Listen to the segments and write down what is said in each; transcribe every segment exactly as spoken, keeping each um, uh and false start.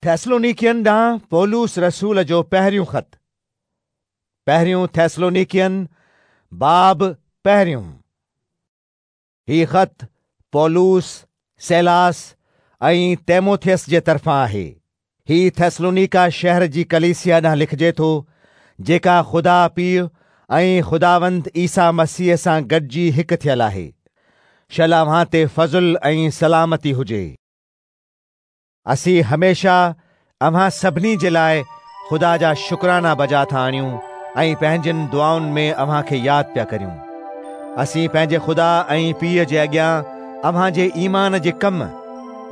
थेसलोनिकियन ॾांहुं पौलुस रसूल जो पहिरियों ख़त। पहिरियों थेसलोनिकियन बाब पहिरियों। ही ख़त पौलुस, सैलास ऐं तीमुथियुस जे तरफ़ां आहे। ही थेसलोनिका शहर जी कलीसिया ॾांहुं लिखिजे थो, जेका ख़ुदा पीउ ऐं ख़ुदावंद ईसा मसीह सां गॾिजी हिकु थियल आहे। शल अव्हां ते फ़ज़ुल ऐं सलामती हुजे। असीं हमेशा अव्हां सभिनी जे लाइ ख़ुदा जा शुक्राना बजा था आणियूं ऐं पंहिंजनि दुआउनि में अव्हां खे यादि पिया करियूं। असीं पंहिंजे ख़ुदा ऐं पीउ जे अॻियां अव्हां जे ईमान जे कम,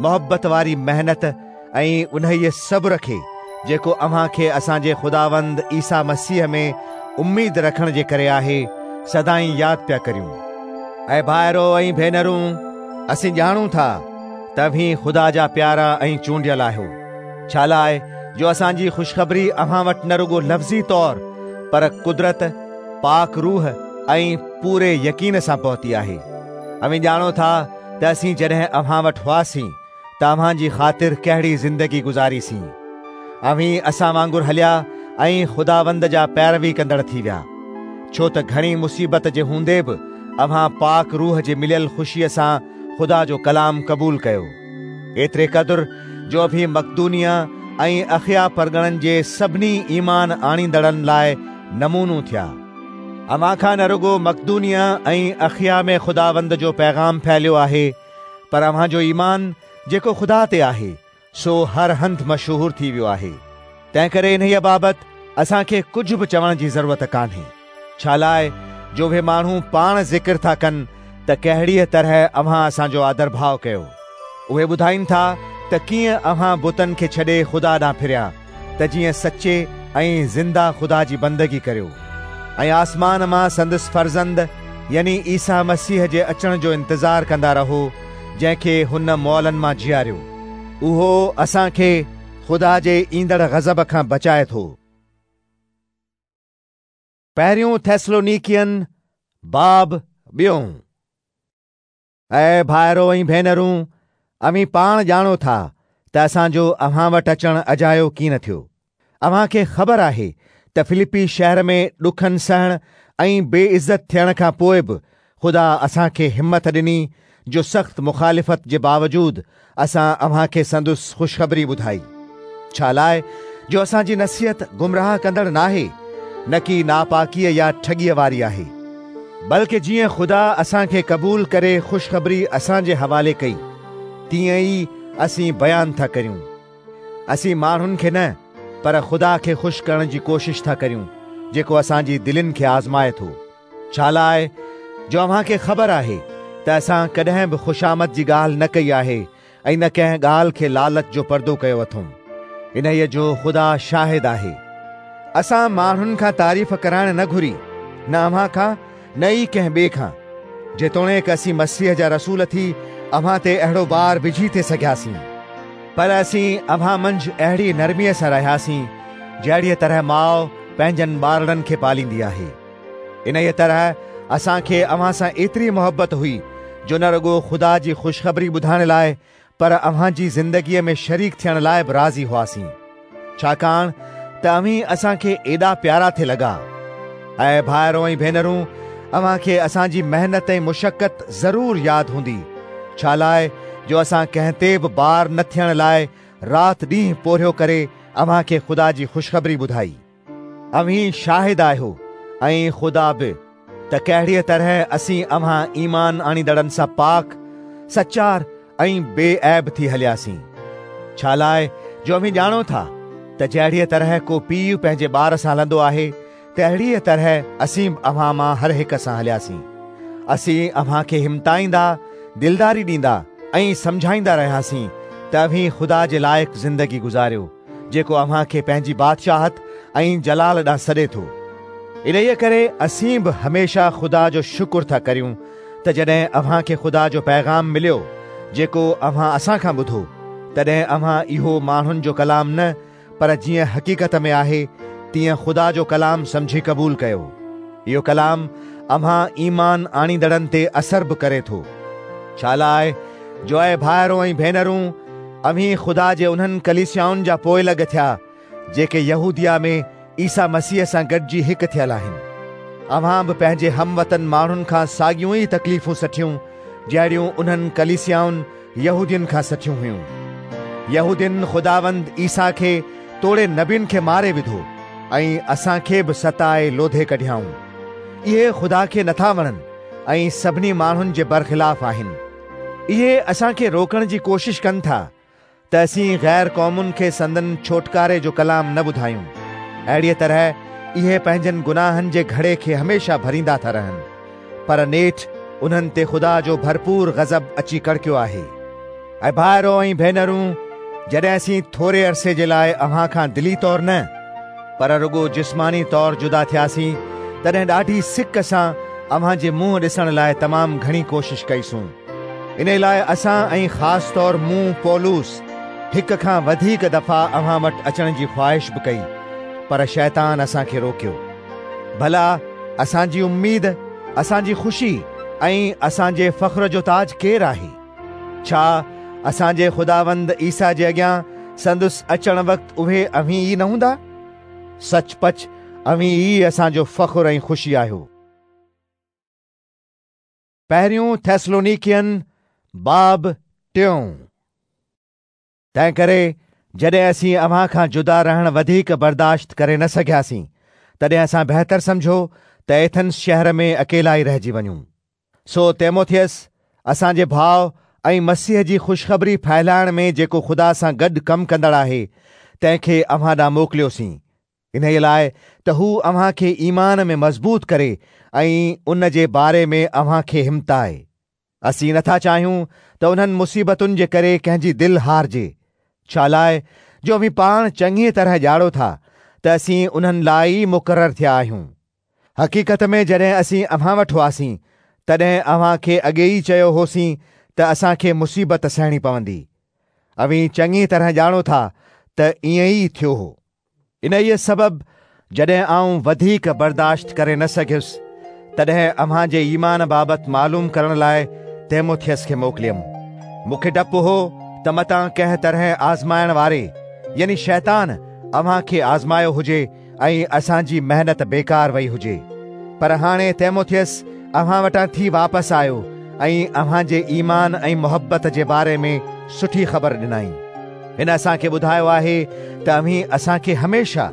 मोहबत वारी महिनत ऐं उन्हीअ सब्र खे जेको अव्हां खे असांजे ख़ुदावंद ईसा मसीह में उम्मीद रखण जे करे आहे, सदाईं यादि पिया करियूं। ऐं भाइरो ऐं भेनरूं, असीं ॼाणूं था त अव्हीं ख़ुदा जा प्यारा ऐं चूंडियल आहियो, छा लाइ जो असांजी ख़ुशख़बरी अव्हां वटि न रुगो लफ़्ज़ी तौर पर कुदरत, पाक रूह ऐं पूरे यकीन सां पहुती आहे। अव्हीं ॼाणो था त असीं जॾहिं अव्हां वटि हुआसीं त अव्हां जी ख़ातिर कहिड़ी ज़िंदगी गुज़ारीसीं। अव्हीं असां वांगुरु हलिया ऐं ख़ुदावंद जा पैरवी कंदड़ थी विया, छो त घणी मुसीबत जे हूंदे बि अव्हां पाक रूह जे मिलियल ख़ुशीअ सां ख़ुदा जो कलाम क़बूल कयो। एतिरे क़दुरु जो अव्हीं मकदूनिया ऐं अखिया परगणनि जे सभिनी ईमान आणींदड़नि लाइ नमूनो थिया। अव्हां खां न रुगो मकदूनिया ऐं अखिया में ख़ुदावंद जो पैगाम फैलियो आहे, पर अव्हां जो ईमान जेको ख़ुदा ते आहे सो हर हंधि मशहूर थी वियो आहे। तंहिं करे इन्हीअ बाबति असांखे कुझु बि चवण जी ज़रूरत कान्हे, छा लाइ जो उहे माण्हू पाण ज़िक्र था कनि त कहिड़ीअ तरह अव्हां असांजो आदर भाव कयो। उहे ॿुधाइनि था त कीअं अव्हां बुतनि खे छॾे ख़ुदा ॾांहुं फिरिया, त जीअं सचे ऐं ज़िंदा ख़ुदा जी बंदगी करियो ऐं आसमान मां संदसि फर्ज़ंद यानी ईसा मसीह जे अचण जो इंतज़ार कंदा रहो, जंहिंखे हुन मुअलनि मां जीआरियो। उहो असांखे ख़ुदा जे ईंदड़ गज़ब खां बचाए थो। पहिरियों थेसलोनिकियन बाब ॿियों। ऐं भाइरो ऐं भेनरूं, अव्हीं पाण ॼाणो था त असांजो अव्हां वटि अचणु अजायो कीअं थियो। अव्हांखे ख़बर आहे त फिलिपी शहर में ॾुखनि सहण ऐं बेइज़त थियण खां पोइ बि ख़ुदा असांखे हिमत ॾिनी, जो सख़्त मुखालिफ़त जे बावजूद असां अव्हांखे संदसि ख़ुशख़बरी ॿुधाई। छा लाइ जो असांजी नसीहत गुमराह कंदड़ नाहे, न की नापाकीअ या ठॻीअ वारी आहे, बल्कि जीअं ख़ुदा असांखे क़बूल करे ख़ुशख़बरी असांजे हवाले कई, तीअं ई असीं बयान था करियूं। असीं माण्हुनि खे न पर ख़ुदा खे ख़ुशि करण जी कोशिश था करियूं, जेको असांजी दिलनि खे आज़माए थो। छा लाइ जो अव्हांखे ख़बर आहे त असां कॾहिं बि ख़ुशामद जी ॻाल्हि न कई आहे ऐं न कंहिं ॻाल्हि खे लालच जो पर्दो कयो अथऊं। इन्हीअ जो ख़ुदा शाहिद आहे। असां माण्हुनि खां तारीफ़ कराइण न घुरी, न अव्हां खां न ई कंहिं ॿिए खां। जेतोणीकि असीं मसीह जा रसूल थी अव्हां ते अहिड़ो बार विझी थे सघियासीं, पर असीं अव्हां मंझि अहिड़ी नरमीअ सां रहियासीं, जहिड़ीअ तरह माउ पंहिंजनि ॿारड़नि खे पालींदी आहे। इन्हीअ तरह असांखे अव्हां सां एतिरी मोहबत हुई जो न रुगो ख़ुदा जी ख़ुशख़बरी ॿुधाइण लाइ पर अव्हां जी ज़िंदगीअ में शरीक थियण लाइ बि राज़ी हुआसीं, छाकाणि त अव्हीं असांखे एॾा प्यारा थे लॻा। ऐं भाइरो ऐं भेनरूं, अव्हांखे असांजी महिनत ऐं मुशक़त ज़रूरु यादि हूंदी, छा लाइ जो असां कंहिं ते बि बार न थियण लाइ राति ॾींहुं पोरियो करे अव्हांखे ख़ुदा जी ख़ुशख़बरी ॿुधाई। अव्हीं शाहिद आहियो ऐं ख़ुदा बि त कहिड़ीअ तरह असीं अव्हां ईमान आणींदड़नि सां पाक, सचार ऐं बेऐब थी हलियासीं। छा लाइ जो अव्हीं ॼाणो था त जहिड़ीअ तरह को पीउ पंहिंजे ॿार सां हलंदो आहे, तहिड़ीअ तरह असीं बि अव्हां मां हर हिक सां हलियासीं। असीं अव्हांखे हिमताईंदा, दिलदारी ॾींदा ऐं सम्झाईंदा रहियासीं त अव्हीं ख़ुदा जे लाइक़ ज़िंदगी गुज़ारियो, जेको अव्हांखे पंहिंजी बादशाहत ऐं जलाल ॾांहुं सॾे थो। इन्हीअ करे असीं बि हमेशा ख़ुदा जो शुक्र था करियूं त जॾहिं अव्हांखे ख़ुदा जो पैगाम मिलियो, जेको अव्हां असां खां ॿुधो, तॾहिं अव्हां इहो माण्हुनि जो कलाम न पर जीअं हक़ीक़त में आहे तीअं ख़ुदा जो कलाम सम्झी क़बूल कयो। इहो कलाम अव्हां ईमान आणींदड़नि ते असर बि करे थो। छा लाइ जो ऐं भाइरो ऐं भेनरूं, اوهين خدا جي انهن ڪليسيائن جا پوئلڳ ٿيا جيڪي يهوديه ۾ عيسيٰ مسيح سان گڏجي هڪ ٿيل آهن. اوهان به پنهنجي هم وطن ماڻهن کان ساڳيون ئي تڪليفون سٺيون جهڙيون انهن ڪليسيائن يهودين کان سٺيون هيون. يهودين خداوند عيسيٰ کي توڙي نبين کي ماري وڌو ۽ اسان کي به ستائي لوڌي ڪڍيائون. اهي خدا کي نٿا وڻن ۽ سڀني ماڻهن جي برخلاف آهن. اهي اسان کي روڪڻ جي ڪوشش ڪن ٿا ته اسين غير قومن کي سندن ڇوٽڪاري جو ڪلام نه ٻڌايون. اهڙيء طرح اهي پنهنجن گناهن جي گهڙي کي هميشه ڀريندا ٿا رهن، پر نيٺ انهن تي خدا جو ڀرپور غضب اچي ڪڙڪيو آهي. ۽ ڀائرو ۽ ڀينرون، جڏهن اسين ٿوري عرصي جي لاءِ اوهان کان دلي طور نه پر رڳو جسماني طور جدا ٿياسين، تڏهن ڏاڍي سڪ سان اوهان جي منهن ڏسڻ لاءِ تمام گهڻي ڪوشش ڪئيسون. ان لاءِ اسان ۽ خاص طور مون پولس هڪ کان وڌيڪ دفعا اوهان وٽ اچڻ جي خواهش به ڪئي، پر شيطان اسان کي روڪيو. ڀلا اسان جي اميد، اسان جي خوشي ۽ اسان جي فخر جو تاج ڪير آهي؟ ڇا اسان جي خداوند عيسيٰ جي اڳيان سندس اچڻ وقت اهي اوهين ئي نه هوندا؟ سچ پچ اوهين ئي اسان جو فخر ۽ خوشي آهيو. پهريون ٿيسلونيڪين باب ٽيون. تنهن ڪري جڏهن اسين اوهان کان جدا رهڻ وڌيڪ برداشت ڪري نه سگهياسين، تڏهن اسان بهتر سمجهيو ته ايٿنس شهر ۾ اڪيلا ئي رهجي وڃون. سو تيموٿيس اسان جي ڀاءُ ۽ مسيح جي خوشخبري ڦهلائڻ ۾ جيڪو خدا سان گڏ ڪم ڪندڙ آهي، تنهن کي اوهان ڏانهن موڪليوسين، انهيءَ لاءِ ته هو اوهان کي ايمان ۾ مضبوط ڪري ۽ ان جي باري ۾ اوهان کي همتائي. اسين نٿا چاهيون ته انهن مصيبتن جي ڪري ڪنهن جي دل هارجي، ڇا لاءِ جو اوهين پاڻ چڱيءَ طرح ڄاڻو ٿا ته اسين انهن لاءِ ئي مقرر ٿيا آهيون. حقيقت ۾ جڏهن اسين اوهان وٽ هئاسين، تڏهن اوهان کي اڳي ئي چيو هوسين ته اسان کي مصيبت سهڻي پوندي. اوهين چڱي طرح ڄاڻو ٿا ته ائين ئي ٿيو هو. انهيءَ سبب جڏهن آئون وڌيڪ برداشت ڪري نه سگهيس، تڏهن اوهان جي ايمان بابت معلوم ڪرڻ لاءِ تيموٿيس کي موڪليم. مون کي ڊپ هو ته متان ڪنهن طرح آزمائڻ واري يعني شيطان اوهان کي آزمايو هجي ۽ اسان جي محنت بيڪار وئي هجي. پر هاڻي تيموٿيس اوهان وٽان ٿي واپس آيو ۽ اوهان جي ايمان ۽ محبت جي باري ۾ سٺي خبر ڏنائين. هن اسان کي ٻڌايو آهي ته اوهين اسان کي هميشه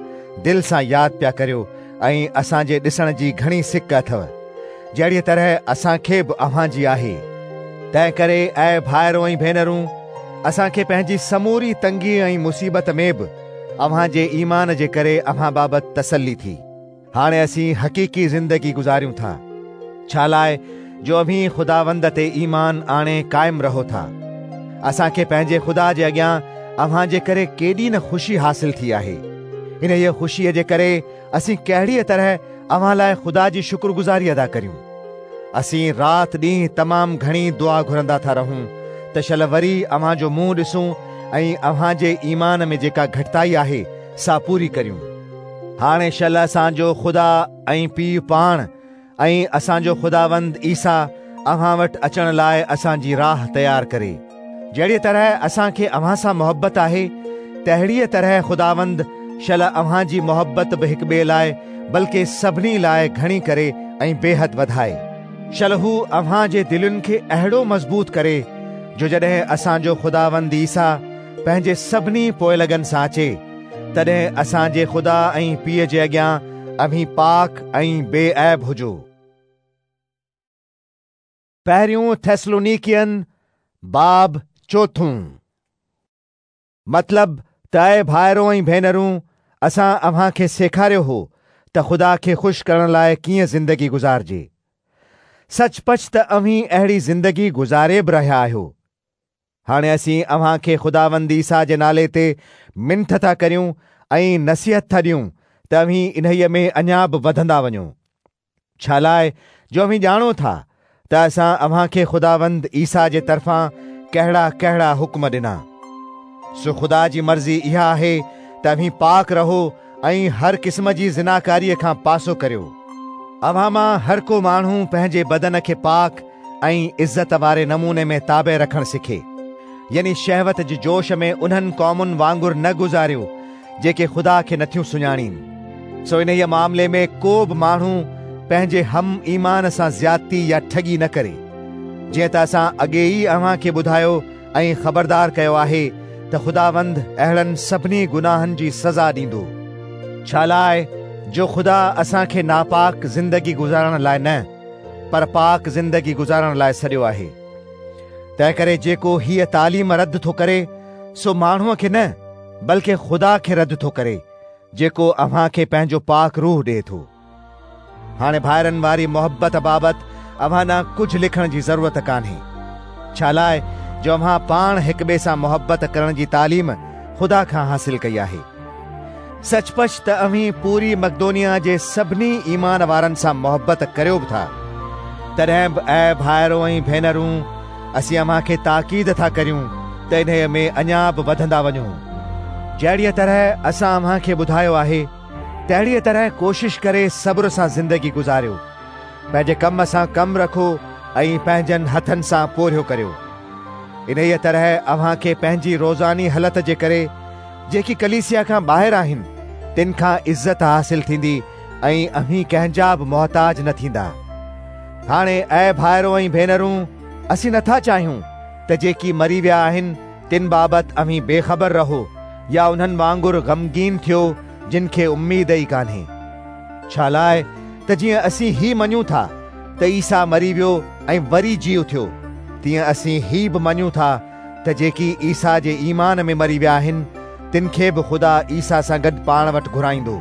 دل سان ياد پيا ڪريو ۽ اسان جي ڏسڻ جي گهڻي سڪ اٿو، جهڙيءَ طرح اسان کي به اوهان جي آهي. تنهن ڪري اي ڀائرو ۽ ڀينرون، اسان کي پنهنجي سموري تنگي ۽ مصيبت ۾ به اوهان جي ايمان جي ڪري اوهان بابت تسلي ٿي. هاڻي اسين حقيقي زندگي گذاريون ٿا، ڇا لاءِ جو اوهين خداوند تي ايمان آڻي قائم رهو ٿا. اسان کي پنهنجي خدا جي اڳيان اوهان جي ڪري ڪيڏي نه خوشي حاصل ٿي آهي. انهيءَ خوشيءَ جي ڪري اسين ڪهڙيءَ طرح اوهان لاءِ خدا جي شڪرگذاري ادا ڪريون. اسين رات ڏينهن تمام گهڻي دعا گهرندا ٿا رهون ته شل وري اوهان جو منهن ڏسون ۽ اوهان جي ايمان ۾ جيڪا گهٽتائي آهي سا پوري ڪريون. هاڻي شل اسان جو خدا ۽ پيءُ پاڻ ۽ اسان جو خداوند عيسيٰ اوهان وٽ اچڻ لاءِ اسان جي راهه تيار ڪري. جهڙيءَ طرح اسان کي اوهان سان محبت آهي، تهڙيءَ طرح خداوند شل اوهان جي محبت به هڪ ٻئي لاءِ بلڪه سڀني لاءِ گهڻي ڪري ۽ بيحد وڌائي. شل هو اوهان جي دلين کي اهڙو مضبوط ڪري جو جڏهن اسان جو خداوند عيسيٰ پنهنجي سڀني پوئلڳن سان اچي، تڏهن اسان جي خدا ۽ پيءُ جي اڳيان اوهين پاڪ ۽ بي عيب هجو. پهريون ٿيسلونيڪين باب چوٿون. مطلب ته اي ڀائرو ۽ ڀينرون، اسان اوهان کي سيکاريو هو ته خدا کي خوش ڪرڻ لاءِ ڪيئن زندگي گذارجي. سچ پچ ته اوهين اهڙي زندگي گذاري به رهيا آهيو. هاڻي اسين اوهان کي خداوند عيسيٰ جي نالي تي منٿ ٿا ڪريون ۽ نصيحت ٿا ڏيون ته اوهين انهيءَ ۾ اڃا به وڌندا وڃو. ڇا لاءِ جو اوهين ڄاڻو ٿا ته اسان اوهان کي خداوند عيسيٰ جي طرفان ڪهڙا ڪهڙا حڪم ڏنا. سو خدا جي مرضي اها آهي ته اوهين پاڪ رهو ۽ هر قسم جي زناڪاريءَ کان پاسو ڪريو. اوهان مان هر ڪو ماڻهو پنهنجي بدن کي پاڪ ۽ عزت واري نموني ۾ تابع رکڻ سکي، يعني شهوت جي جوش ۾ انهن قومن وانگر نه گذاريو جيڪي خدا کي نٿيون سڃاڻين. سو انهيء معاملي ۾ ڪو به ماڻهو پنهنجي هم ايمان سان زيادتي يا ٺڳي نه ڪري. جيئن ته اسان اڳي ئي اوهان کي ٻڌايو ۽ خبردار ڪيو آهي ته خداوند اهڙن سڀني گناهن جي سزا ڏيندو. ڇا لاءِ جو خدا اسان کي ناپاڪ زندگي گذارڻ لاءِ نه پر پاڪ زندگي گذارڻ لاءِ سڏيو آهي. تنهن ڪري جيڪو هيءَ تعليم رد ٿو ڪري سو ماڻهوءَ کي نه بلڪه خدا کي رد ٿو ڪري، جيڪو اوهان کي پنهنجو پاڪ روح ڏئي ٿو. هاڻي ڀائرن واري محبت بابت اوهان ڏانهن ڪجهه لکڻ جي ضرورت ڪانهي، ڇا لاءِ جو اوهان پاڻ هڪ ٻئي سان محبت ڪرڻ جي تعليم خدا کان حاصل ڪئي آهي. سچ پچ ته اوهين پوري مقدونيا جي سڀني ايمان وارن سان محبت ڪريو به ٿا. تڏهن به اي ڀائرو ۽ ڀينرون، اسين اوهان کي تاڪيد ٿا ڪريون ته انهيءَ ۾ اڃا به وڌندا وڃو. جهڙيءَ طرح اسان اوهان کي ٻڌايو آهي تهڙيءَ طرح ڪوشش ڪري صبر سان زندگي گذاريو. پنهنجي ڪم سان ڪم رکو ۽ پنهنجن هٿن سان پورهيو ڪريو. انهيءَ طرح اوهان کي پنهنجي روزاني هلت جي ڪري جيڪي ڪليسيا کان ٻاهر آهن تن کان عزت حاصل ٿيندي ۽ اوهين ڪنهن جا به محتاج نه ٿيندا. هاڻي اي ڀائرو ۽ ڀينرون، اسين نٿا چاهيون ته جيڪي مري ويا آهن تن بابت اوهين بيخبر رهو يا انهن وانگر غمگين ٿيو جن کي اميد ئي ڪانهي. ڇا لاءِ ته جيئن اسين هي مڃون ٿا ته عيسيٰ مري ويو ۽ وري جي اٿيو، تيئن اسين هي به مڃون ٿا ته جيڪي عيسيٰ جي ايمان ۾ مري ويا آهن تن کي به خدا عيسيٰ سان گڏ پاڻ وٽ گهرائيندو.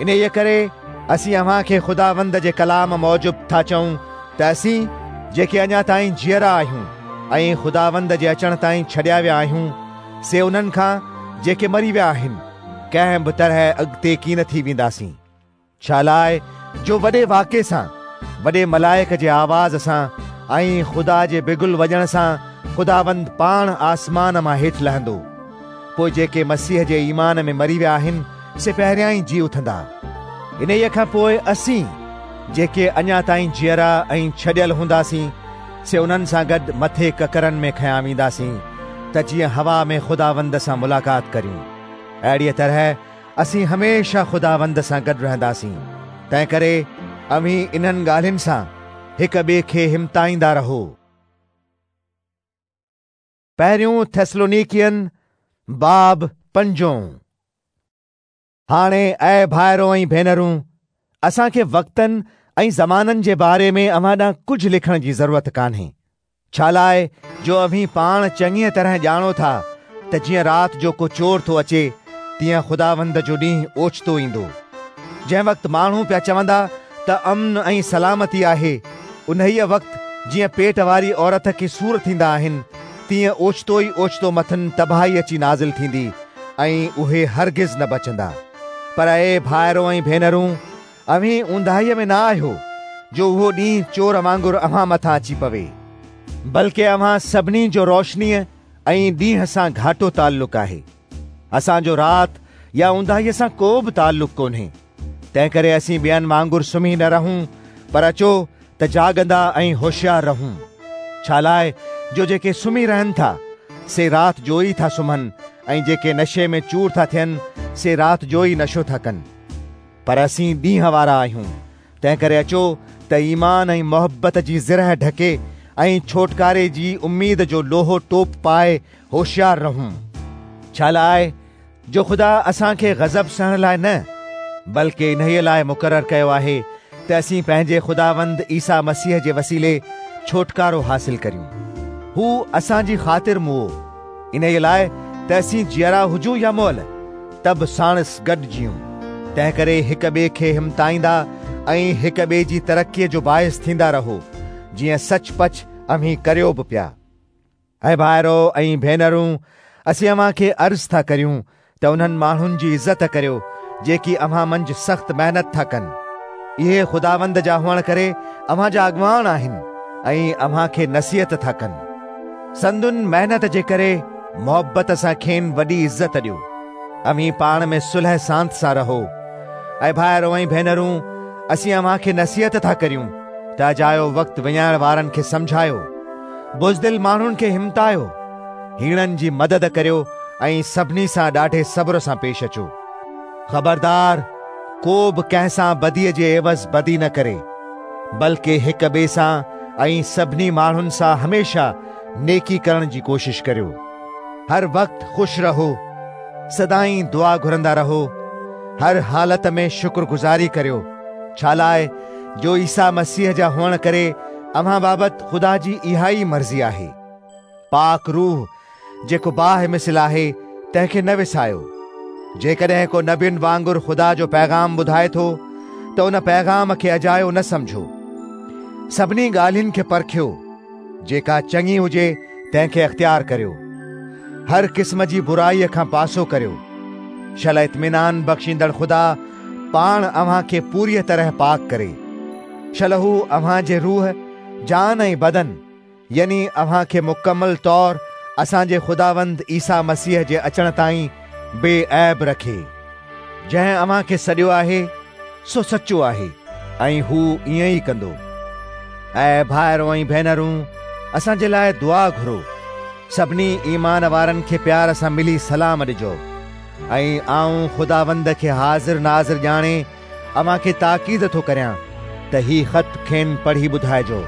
انهيءَ ڪري اسين اوهان کي خداوند جي ڪلام موجب ٿا چئون ته اسين جيڪي اڃا تائين جيئرا آهيون ۽ خداوند جي اچڻ تائين ڇڏيا ويا آهيون، سي انهن کان جيڪي مري ويا آهن ڪنهن به طرح اڳتي ڪين ٿي وينداسين. ڇا لاءِ جو وڏي واڪي سان، وڏي ملائڪ جي آواز سان ۽ خدا جي بگل وڄڻ سان خداوند پاڻ آسمان مان هيٺ لهندو. پوءِ جيڪي مسيح جي ايمان ۾ مري ويا آهن سي پهريان ئي جي اٿندا. انهيءَ کان پوءِ اسين جيڪي اڃا تائين جيئرا ۽ ڇڏيل هونداسين سي انهن سان گڏ مٿي ڪڪرن ۾ کنيا وينداسين ته جيئن هوا ۾ خداوند سان ملاقات ڪريون. اهڙيءَ طرح اسين هميشه خداوند سان گڏ رهنداسين. تنهن ڪري اوهين انهن ڳالهين سان هڪ ٻئي کي همتائيندا رهو. پهريون ٿيسلونيڪين باب پنجون. هاڻي اي ڀائرو ۽ ڀينرون، اسان کي وقتن ۽ زمانن جي باري ۾ اوهان ڏانهن ڪجهه لکڻ جي ضرورت ڪانهي. ڇا لاءِ جو اوهين پاڻ چڱيءَ طرح ڄاڻو ٿا ته جيئن رات جو ڪو چور ٿو اچي تيئن خداوند جو ڏينهن اوچتو ايندو. جنهن وقت ماڻهو پيا چوندا ته امن ۽ سلامتي آهي، انهيءَ وقت جيئن پيٽ واري عورت کي سور ٿيندا آهن تيئن اوچتو ئي اوچتو مٿن تباهي اچي نازل ٿيندي ۽ اهي هرگز نه بچندا. پر اي ڀائرو ۽ ڀينرون، اوهين اونداهيءَ ۾ نه آهيو جو اهو ڏينهن چور وانگر اوهان مٿان اچي پوي، بلڪه اوهان سڀني جو روشنيءَ ۽ ڏينهن سان گهاٽو تعلق آهي. اسان جو رات يا اونداهيءَ سان ڪو به تعلق ڪونهي. تنهن ڪري اسين ٻين وانگر سمهي نه رهون، پر اچو ته جاڳندا ۽ هوشيار رهون. ڇا لاءِ جو جيڪي سمهي رهن ٿا سي رات جو ئي ٿا سمهن ۽ جيڪي نشي ۾ چور ٿا ٿين سي رات جو ئي نشو ٿا ڪن. پر اسين ڏينهن وارا آهيون، تنهن ڪري اچو ته ايمان ۽ محبت جي زرهه ڍڪي ۽ ڇوٽڪاري جي اميد جو لوهو ٽوپ پائي هوشيار رهون. ڇا لاءِ جو خدا اسان کي غضب سهڻ لاءِ نه بلڪه انهيءَ لاءِ مقرر ڪيو آهي ته اسين پنهنجي خداوند عيسيٰ مسيح جي وسيلي ڇوٽڪارو حاصل ڪريون. هو اسان جي خاطر مئو، انهيءَ لاءِ ته اسين جيئرا هجون يا مئل ته به ساڻس گڏ جيئون. تنهن ڪري هڪ ٻئي کي همتائيندا ۽ هڪ ٻئي جي ترقيءَ جو باعث ٿيندا رهو، جيئن سچ پچ اوهين ڪريو به پيا. اي ڀائرو ۽ ڀينرون، اسين اوهان کي عرض ٿا ڪريون ته انهن ماڻهن جي عزت ڪريو جيڪي اوهان منجهه سخت محنت ٿا ڪن. اهي خداوند جا هئڻ ڪري اوهان جا اڳواڻ آهن ۽ اوهان کي نصيحت ٿا ڪن. سندن محنت جي ڪري محبت سان کين وڏي عزت ڏيو. اوهين پاڻ ۾ صلح سانت سان رهو. اي ڀائرو ۽ ڀينرون، اسين اوهان کي نصيحت ٿا ڪريون ته اجايو وقت وڃائڻ وارن کي سمجهايو، بزدل ماڻهن کي همتايو، هيڻن جي مدد ڪريو ۽ سڀني سان ڏاڍي صبر سان پيش اچو. خبردار، ڪو به ڪنهن سان بديءَ جي عيوض بدي نه ڪري، بلڪه هڪ ٻئي سان ۽ سڀني ماڻهن سان هميشه نيڪي ڪرڻ جي ڪوشش ڪريو. هر وقت خوش رهو، سدائين دعا گهرندا رهو، هر حالت ۾ شڪرگذاري ڪريو، ڇا لاءِ جو عيسيٰ مسيح جا هئڻ ڪري اوهان بابت خدا جي اها ئي مرضي آهي. پاڪ روح جيڪو باهه مثل آهي تنهن کي نه وسايو. جيڪڏهن ڪو نبين وانگر خدا جو پيغام ٻڌائي ٿو ته ان پيغام کي اجايو نه سمجهو. سڀني ڳالهين کي پرکيو، جيڪا چڱي هجي تنهن کي اختيار ڪريو. هر قسم جي برائيءَ کان پاسو ڪريو. شل اطمينان بخشيندڙ خدا پاڻ اوهان کي پوريءَ طرح پاڪ ڪري. شل هو اوهان جي روح، جان ۽ بدن يعني اوهان کي مڪمل طور اسان جي خداوند عيسيٰ مسيح جي اچڻ تائين بي عيب رکي. جنهن اوهان کي سڏيو آهي سو سچو آهي ۽ هو ائين ئي ڪندو. ऐं भाइरो ऐं भेनरूं, असांजे लाइ दुआ घुरो। सभिनी ईमान वारनि खे प्यार सां मिली सलाम ॾिजो। ऐं आऊं ख़ुदावंद खे हाज़िर नाज़िर ॼाणे अव्हां खे ताक़ीद थो करियां त ही ख़त खेनि पढ़ी ॿुधाइजो।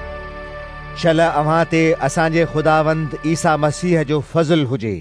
शल अव्हां ते असांजे ख़ुदावंद ईसा मसीह जो फज़ुल हुजे।